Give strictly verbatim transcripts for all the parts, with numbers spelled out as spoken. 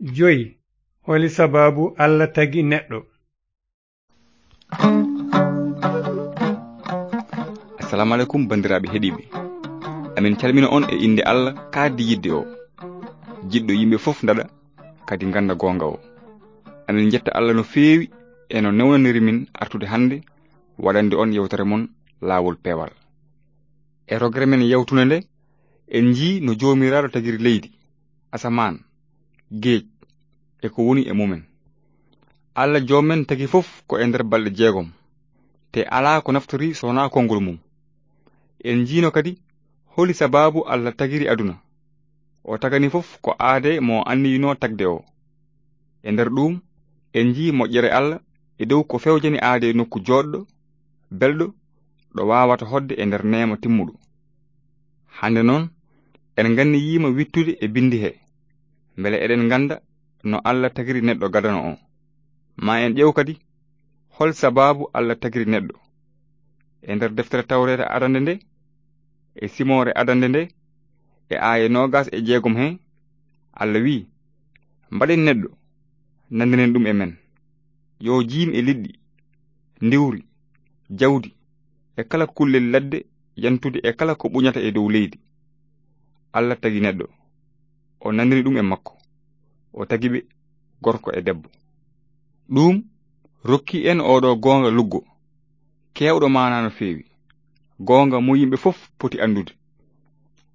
Joyi, holi sabaabu Alla tagi neɗɗo? Assalamu alaikum, banndiraaɓe heɗiiɓe. Amin calmina on e innde Alla kaaddi yiɗde o, jiɗɗo yimɓe fof ndaɗa, kadi ngannda goonga o. Amin njetta Alla no feewi e no newnaniri min artude hannde waɗande on yewtere mon Laawol Peewal. E rogere men yawtunde nde, en njii no Joomiraaɗo tagiri leydi, asamaan, geej, e ko woni e mumen. Alla Joom men tagi fof ko e nder balɗe jeegom, te alaa ko naftori so wonaa konngol mum. En njiino kadi holi sabaabu Alla tagiri aduna. O tagani fof ko aadee mo anniyinoo tagde o. E nder ɗuum, en njii moƴƴere Alla e dow ko fewjani aadee nokku jooɗɗo, belɗo, ɗo waawata hoɗde e nder neema timmuɗo. Hannde noon, en nganniyiima wittude e binndi he, mbele eɗen ngannda no Alla tagiri neɗɗo gadano o. Ma en ƴeew kadi, hol sabaabu Alla tagiri neɗɗo? E nder deftere Tawreeta adande nde, e simoore adande nde, e aaye noogas e jeegom he, Alla wi'i, "Mbaɗen neɗɗo, nanndinen ɗum e men. Yo jiim e liɗɗi, ndiwri, jawdi, e kala kullel ladde yantude e kala ko ɓuñata e dow leydi." Alla tagi neɗɗo, o nanndini ɗum e makko, o tagi ɓe gorko e debbo. Ɗum rokki en oɗo goonga luggo, keewɗo maanaa no feewi, goonga mo yimɓe fof poti anndude.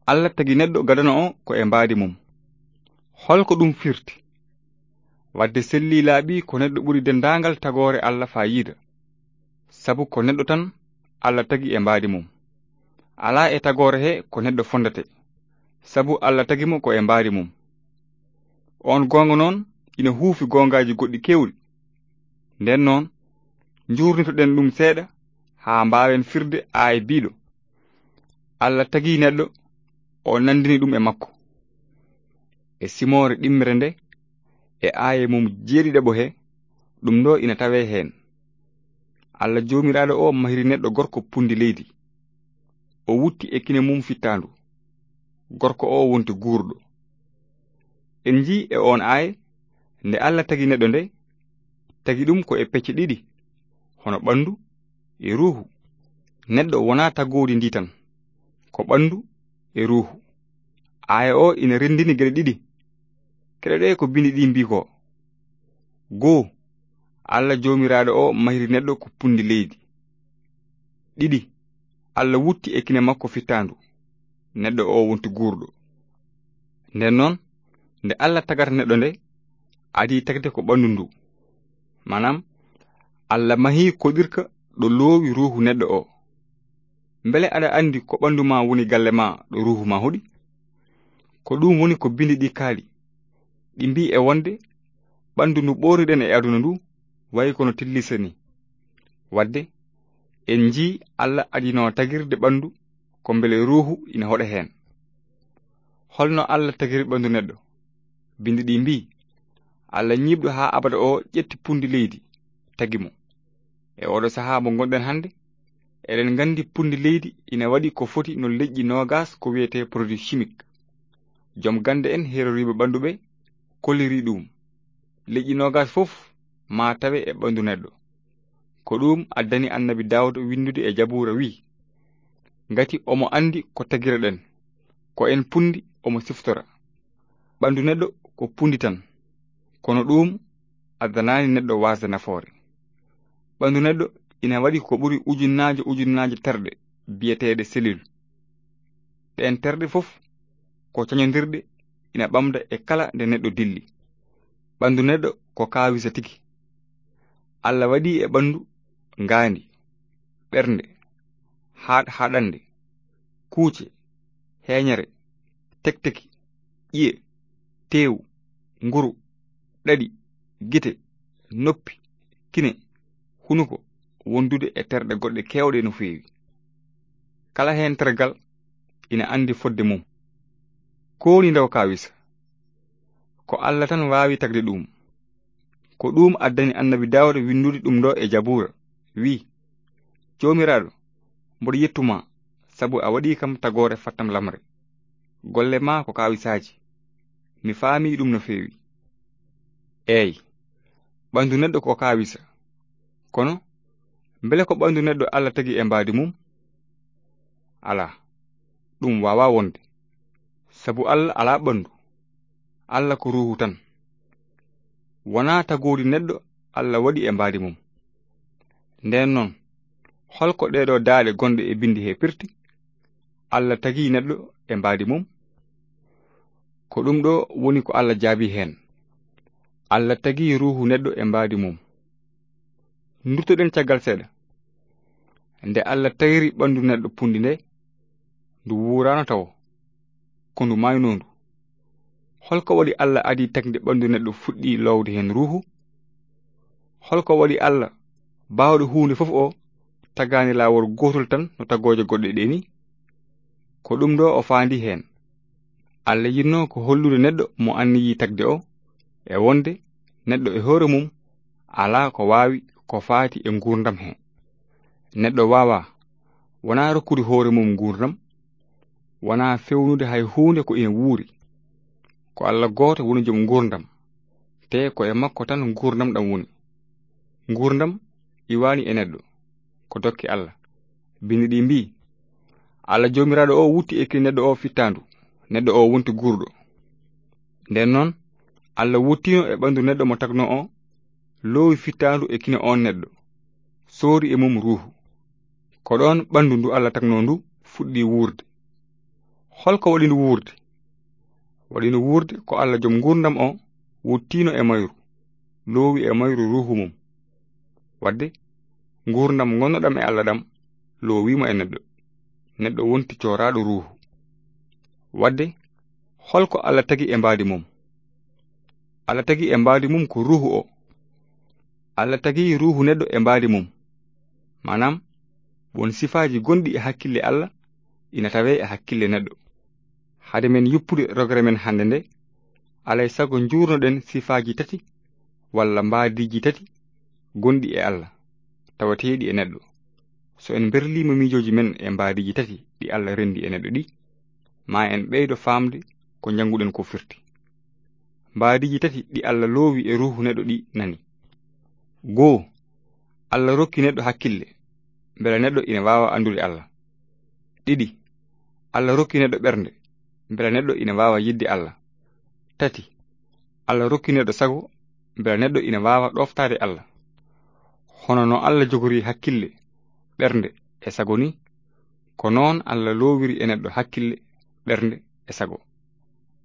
Alla tagi neɗɗo gadano o ko e mbaadi mum. Holko ɗum firti? Wadde sellii laaɓi ko neɗɗo ɓuri denndaangal tagoore Alla faayiida, sabu ko neɗɗo tan Alla tagi e mbaadi mum. Alaa e tagoore he ko neɗɗo fonndete, sabu Alla tagi mo ko e mbaadi mum. On goonga noon ina huufi goongaaji goɗɗi keewɗi. Nden noon, njuurnitoɗen ɗum seeɗa haa mbaawen firde aaya biiɗo, "Alla tagi neɗɗo, o nanndini ɗum e makko." E simoore ɗimmere nde, e aaye mum jeeɗiɗaɓo he, ɗum ɗo ina tawee heen. Alla Joomiraaɗo o mahiri neɗɗo gorko punndi leydi. O wutti e kine mum fittaandu. Gorko o wonti guurɗo. En njii e oon aaye, nde Alla tagi neɗɗo nde, tagi ɗum ko e pecce ɗiɗi, hono ɓanndu e ruuhu. Neɗɗo wonaa tagoodi ndi tan, ko ɓanndu e ruuhu. Aaya o ina renndini geɗe ɗiɗi. Keɗoɗee ko binndi ɗi mbii ko. Goo, Alla Joomiraaɗo o mahiri neɗɗo ko punndi leydi. Ɗiɗi, Alla wutti e kine makko fittaandu. Neɗɗo o wonti guurɗo. Nden noon, nde Alla tagata neɗɗo nde, adii tagde ko ɓanndu ndu. Maanaam, Alla mahii koɗirka ɗo loowi ruuhu neɗɗo o. Mbele aɗa anndi ko ɓanndu ma woni galle ma ɗo ruuhu ma hoɗi? Ko ɗum woni ko binndi ɗi kaali. Ɗi mbii e wonde ɓanndu ndu ɓoorniɗen e aduna ndu wayi kono tillisa ni. Wadde, en njii Alla adino tagirde ɓanndu ko mbele ruuhu ina hoɗa heen. Holno Alla tagiri ɓanndu neɗɗo? Binndi ɗi mbii, Alla ñiiɓɗo haa abada o ƴetti punndi leydi, tagi mo. E oɗo sahaa mo ngonɗen hannde, eɗen nganndi punndi leydi ina waɗi ko foti no leƴƴi noogas ko wiyetee produit chimique. Joom gannde en heeroriiɓe ɓanndu ɓe kolliri ɗum. Leƴƴi noogas fof maa tawe e ɓanndu neɗɗo. Ko ɗum addani Annabi Daawda winndude e Jabuura wi, "Ngati omo anndi ko tagireɗen, ko en punndi omo siftora." Ɓanndu neɗɗo ko punndi tan, kono ɗum addanaani neɗɗo waasde nafoore. Ɓanndu neɗɗo ina waɗi ko ɓuri ujunnaaje ujunnaaje terɗe biyeteeɗe cellule. Ɗeen terɗe fof ko cañondirɗe ina ɓamda e kala nde neɗɗo dilli. Ɓanndu neɗɗo ko kaawisa tigi. Alla waɗi e ɓanndu ngaandi, ɓernde, haaɗ-, haaɗannde, kuuce, heeñere, tekteki, ƴiye, teewu, nguru, ɗaɗi, gite, noppi, kine, hunuko, wondude e terɗe goɗɗe keewɗe no feewi. Kala heen tergal ina anndi fodde mum. Ko woni ndaw kaawisa? Ko Alla tan waawi tagde ɗum. Ko ɗum addani Annabi Daawda winndude ɗum ɗo e Jabuura, wi, "Joomiraaɗo, mboɗo yettu ma, sabu a waɗi kam tagoore fattam lamre. Golle ma ko kaawisaaji. Mi faami ɗum no feewi." Eey, ɓanndu neɗɗo ko kaawisa. Kono, mbele ko ɓanndu neɗɗo Alla tagi e mbaadi mum? Alaa, ɗum waawaa wonde. Sabu Alla alaa ɓanndu. Alla ko ruuhu tan. Wonaa tagoori neɗɗo Alla waɗi e mbaadi mum. Ndeen noon, hol ko ɗeeɗoo daaɗe gonɗe e binndi hee pirti? Alla tagii neɗɗo e mbaadi mum? Ko ɗum ɗo woni ko Alla jaabii heen. Alla tagii ruuhu neɗɗo e mbaadi mum. Nduttoɗen caggal seeɗa. Nde Alla tagiri ɓanndu neɗɗo punndi nde, ndu wuuraano tawo, ko ndu maaynoondu. Hol ko waɗi Alla adii tagde ɓanndu neɗɗo fuɗɗii loowde heen ruuhu? Hol ko waɗi Alla baawɗo huunde fof o tagaani laawol gootol tan no tagooje goɗɗe ɗee ni? Ko ɗum ɗo o faandi heen. Alla yiɗno ko hollude neɗɗo mo anniyii tagde o, e wonde neɗɗo e hoore mum alaa ko waawi ko faati e nguurndam he. Neɗɗo waawaa, wonaa rokkude hoore mum nguurndam, wonaa fewnude hay huunde ko ina wuuri. Ko Alla gooto woni jom nguurndam, te ko e makko tan nguurndam ɗam woni. Nguurndam iwaani e neɗɗo, ko dokke Alla. Binndi ɗi mbii, Alla Joomiraaɗo o wutti e kine neɗɗo o fittaandu, neɗɗo o wonti guurɗo. Ndeen noon, Alla wuttiino e ɓanndu neɗɗo mo tagnoo o, loowi fittaandu e kine oon neɗɗo, soori e mum ruuhu. Ko ɗoon ɓanndu ndu Alla tagnoo ndu fuɗɗii wuurde. Hol ko waɗi ndu wuurde? Waɗi ndu wuurde ko Alla jom nguurndam o wuttiino e mayru, loowi e mayru ruuhu mum. Waɗde, nguurndam ngonnoɗam e Alla ɗam loowii mo e neɗɗo. Neɗɗo wonti cooraaɗo ruuhu. Waɗde, hol ko Alla tagi e mbaadi mum? Alla tagi e mbaadi mum ko ruuhu o. Alla tagi ruuhu neɗɗo e mbaadi mum. Maanaam, won sifaaji gonɗi e hakkille Alla ina tawee e hakkille neɗɗo. Hade men yuppude rogere men hannde nde, alay sago njuurnoɗen sifaaji tati walla mbaadiiji tati gonɗi e Alla, tawateeɗi e neɗɗo. So en mberliima miijooji men e mbaadiiji tati ɗi Alla renndi e neɗɗo ɗi, ma en ɓeydo faamde ko njannguɗen ko firti. Mbaadiiji tati ɗi Alla loowi e ruuhu neɗɗo ɗi nani. Goo, Alla rokki neɗɗo hakkille, mbela neɗɗo ina waawa anndude Alla. Ɗiɗi, Alla rokki neɗɗo ɓernde, mbela neɗɗo ina waawa yiɗde Alla. Tati, Alla rokki neɗɗo sago, mbela neɗɗo ina waawa ɗooftaade Alla. Hono no Alla jogori hakkille, ɓernde e sago ni, ko noon Alla loowiri e neɗɗo hakkille, ɓernde e sago.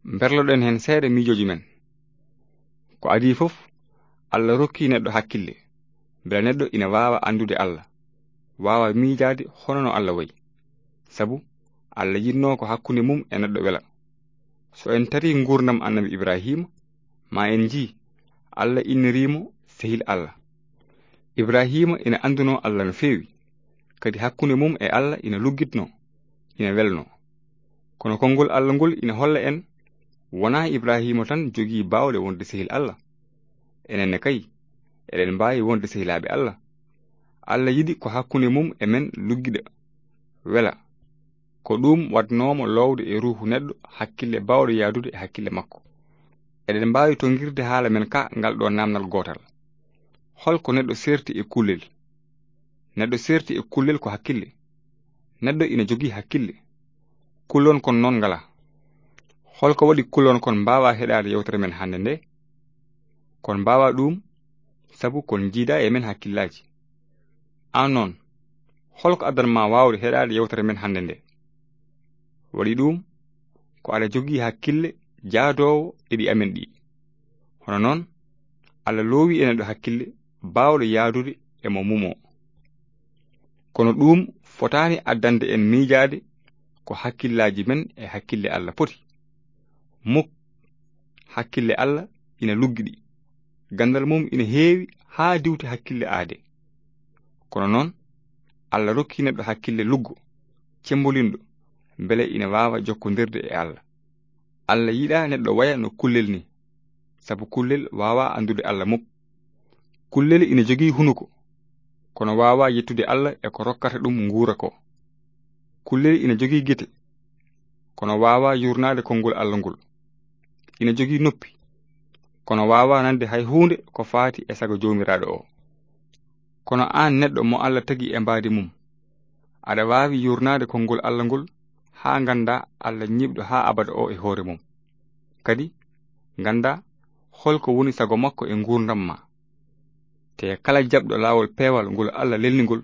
Mberloɗen heen seeɗa miijooji men. Ko adii fof, Alla rokki neɗɗo hakkille, mbela neɗɗo ina waawa anndude Alla, waawa miijaade hono no Alla wayi. Sabu Alla yiɗnoo ko hakkunde mum e neɗɗo wela. So en tarii nguurndam Annabi Ibrahiima, ma en njii Alla inniriimo sehil Alla. Ibrahiima ina anndunoo Alla no feewi, kadi hakkunde mum e Alla ina luggitnoo, ina welnoo. Kono konngol Alla ngol ina holla en, wonaa Ibrahiima tan jogii baawɗe wonde sehil Alla. Enen ne kay, eɗen mbaawi wonde sehilaaɓe Alla. Alla yiɗi ko hakkunde mum e men luggida, wela. Ko ɗum waɗnoo mo loowde e ruuhu neɗɗo hakkille baawɗo yahdude e hakkille makko. Eɗen mbaawi tonngirde haala men ka ngal ɗo naamnal gootal. Hol ko neɗɗo seerti e kullel? Neɗɗo seerti e kullel ko hakkille. Neɗɗo ina jogii hakkille. Kullon kon noon ngalaa. Hol ko waɗi kullon kon mbaawaa heɗaade yewtere men hannde nde? Kon mbaawaa ɗum, sabu kon njiidaa e men hakkillaaji. Aan noon, hol ko addan ma waawde heɗaade yewtere men hannde nde? Waɗi ɗum, ko aɗa jogii hakkille jaadoowo e ɗi amen ɗi. Hono noon, Alla loowi e neɗɗo hakkille baawɗo yahdude e mo mumoo. Kono ɗum fotaani addande en miijaade ko hakkillaaji men e hakkille Alla poti. Muk, hakkille Alla ina luggiɗi. Ganndal mum ina heewi haa diwti hakkille aade. Kono noon, Alla rokki neɗɗo hakkille luggo, cemmbolinɗo, mbele ina waawa jokkondirde e Alla. Alla yiɗaa neɗɗo waya no kullel ni, sabu kullel waawaa anndude Alla muk. Kullel ina jogii hunuko, kono waawaa yettude Alla e ko rokkata ɗum nguura ko. Kullel ina jogii gite, kono waawaa yuurnaade konngol Alla ngol. Ina jogii noppi, kono waawaa nande hay huunde ko faati e sago Joomiraaɗo o. Kono aan neɗɗo mo Alla tagi e mbaadi mum, aɗa waawi yuurnaade konngol Alla ngol haa nganndaa Alla ñiiɓɗo haa abada o e hoore mum. Kadi nganndaa hol ko woni sago makko e nguurndam ma. Te kala jaɓɗo laawol peewal ngol Alla lelni ngol,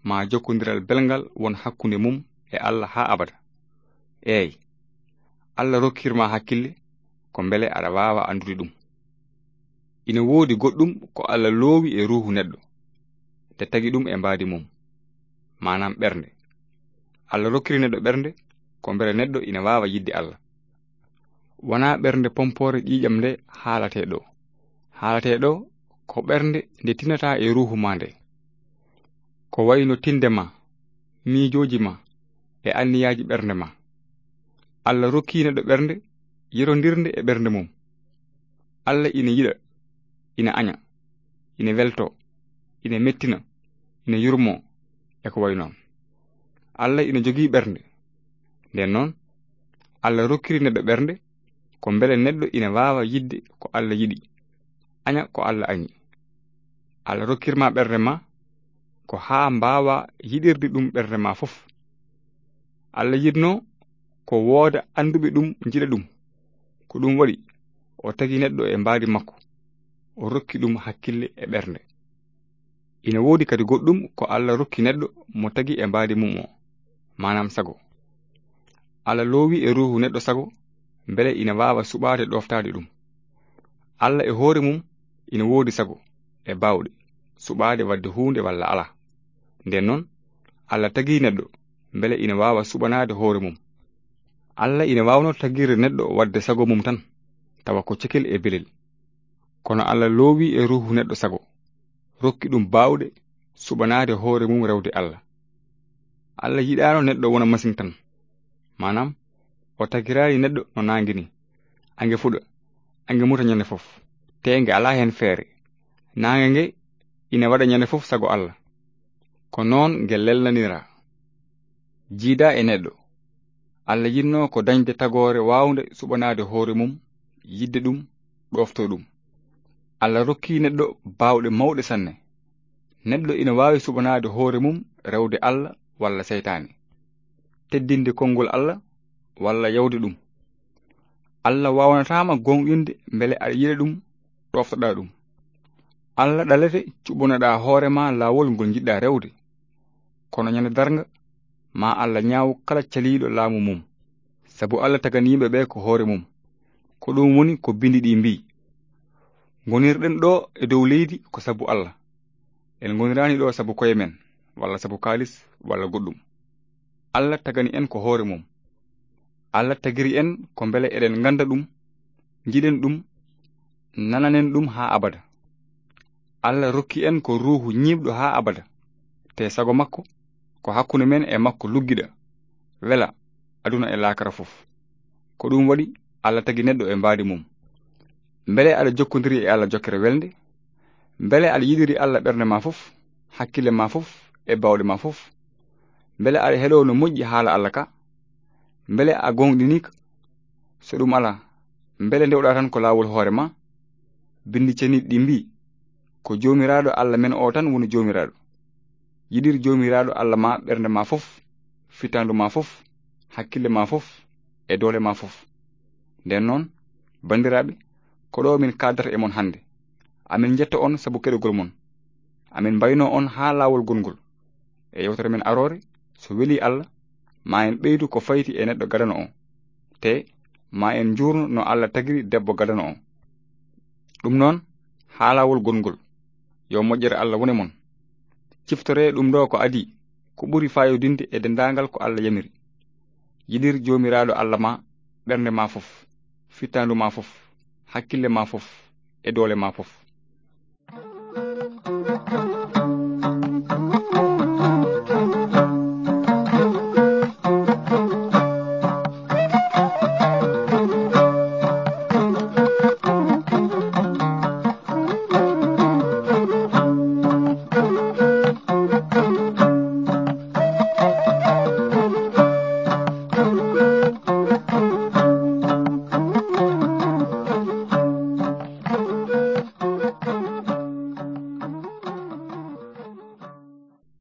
ma jokkondiral belngal won hakkunde mum e Alla haa abada. Eey, Alla rokkir ma hakkille ko mbele aɗa waawa anndude ɗum. Ina woodi goɗɗum ko Alla loowi e ruuhu neɗɗo, de tagi ɗum e mbaadi mum, maanaam ɓernde. Alla rokkiri neɗɗo ɓernde ko mbele neɗɗo ina waawa yiɗde Alla. Wonaa ɓernde pompoore ƴiiƴam nde haalatee ɗo. Haalatee ɗo ko ɓernde nde tinataa e ruuhu ma nde. Ko wayno tinde ma, miijooji ma, e anniyaaji ɓernde ma. Alla rokkii neɗɗo ɓernde yerondirnde e ɓernde mum. Alla ina yiɗa, ina aña, ina welto, ina mettina, ina yurmo, e ko wayi noon. Alla ina jogii ɓernde. Nden noon, Alla rokkiri neɗɗo ɓernde ko mbele neɗɗo ina waawa yiɗde ko Alla yiɗi, aña ko Alla añi. Alla rokkir ma ɓernde ma ko haa mbaawa yiɗirde ɗum ɓernde ma fof. Alla yiɗno ko wooda annduɓe ɗum njiɗa ɗum. Ko ɗum waɗi o tagi neɗɗo e mbaadi makko, o rokki ɗum hakkille e ɓernde. Ina woodi kadi goɗɗum ko Alla rokki neɗɗo mo tagi e mbaadi mum o, maanaam sago. Alla loowi e ruuhu neɗɗo sago mbele ina waawa suɓaade ɗooftaade ɗum. Alla e hoore mum ina woodi sago e baawɗe suɓaade waɗde huunde walla alaa. Nden noon, Alla tagi neɗɗo mbele ina waawa suɓanaade hoore mum. Alla ina waawno tagirde neɗɗo waɗde sago mum tan, tawa ko cekel e belel. Kono Alla loowi e ruuhu neɗɗo sago, rokki ɗum baawɗe suɓanaade hoore mum rewde Alla. Alla yiɗaano neɗɗo wona masiŋ tan. Maanaam, o tagiraani neɗɗo no naange ni. Ange fuɗa, ange muta ñande fof. Te nge alaa heen feere. Naange nge ina waɗa ñande fof sago Alla. Ko noon nge lelnanira. Jiida e neɗɗo. Alla yiɗno ko dañde tagoore waawnde suɓanaade hoore mum, yiɗde ɗum, ɗoofto ɗum. Alla rokki neɗɗo baawɗe mawɗe sanne. Neɗɗo ina waawi suɓanaade hoore mum rewde Alla walla seytaane, teddinde konngol Alla walla yawde ɗum. Alla waawnataama gooŋɗinde mbele aɗa yiɗa ɗum, ɗooftoɗaa ɗum. Alla ɗalete cuɓanoɗaa hoore ma laawol ngol njiɗɗaa rewde. Kono ñande darnga, ma Alla ñaaw kala caliiɗo laamu mum, sabu Alla tagani yimɓe ɓe ko hoore mum. Ko ɗum woni ko bindi ɗi mbii: "Ngonirɗen ɗo e dow leydi ko sabu Alla. En ngoniraani ɗo sabu koye men, walla sabu kaalis, walla goɗɗum. Alla tagani en ko hoore mum. Alla tagiri en ko mbele eɗen ngannda ɗum, njiɗen ɗum, nananen ɗum haa abada. Alla rokki en ko ruuhu ñiiɓɗo haa abada, te sago makko ko hakkunde men e makko luggiɗa, wela aduna e laakara fof. Ko ɗum waɗi Alla tagi neɗɗo e mbaadi mum." Mbele aɗa jokkondiri e Alla jokkere welnde? Mbele aɗa yiɗiri Alla ɓernde ma fof, hakkille ma fof, e baawɗe ma fof? Mbele aɗa heɗoo no moƴƴi haala Alla ka? Mbele a gooŋɗinii ka? So ɗum alaa, mbele ndewɗaa tan ko laawol hoore ma? Binndi ceniiɗi ɗi mbii: "Ko Joomiraaɗo Alla men o tan woni Joomiraaɗo. Yiɗir Joomiraaɗo Alla ma ɓernde ma fof, fittaandu ma fof, hakkille ma fof, e doole ma fof." Nden noon, banndiraaɓe, ko ɗo min kaaldata e mon hannde. Amin njetta on sabu keɗogol mon. Amin mbaynoo on haa laawol gongol. E yewtere men aroore, so welii Alla, ma en ɓeydu ko fayti e neɗɗo gadano o. Te, ma en njuurno no Alla tagiri debbo gadano o. Ɗum noon, haa laawol gongol, yo moƴƴere Alla wone mon. Ciftoree ɗum ɗo ko adii, ko ɓuri faayodinde e denndaangal ko Alla yamiri. Yiɗir Joomiraaɗo Alla ma ɓernde ma fof, fittaandu ma fof, hakkille ma fof, e doole ma fof.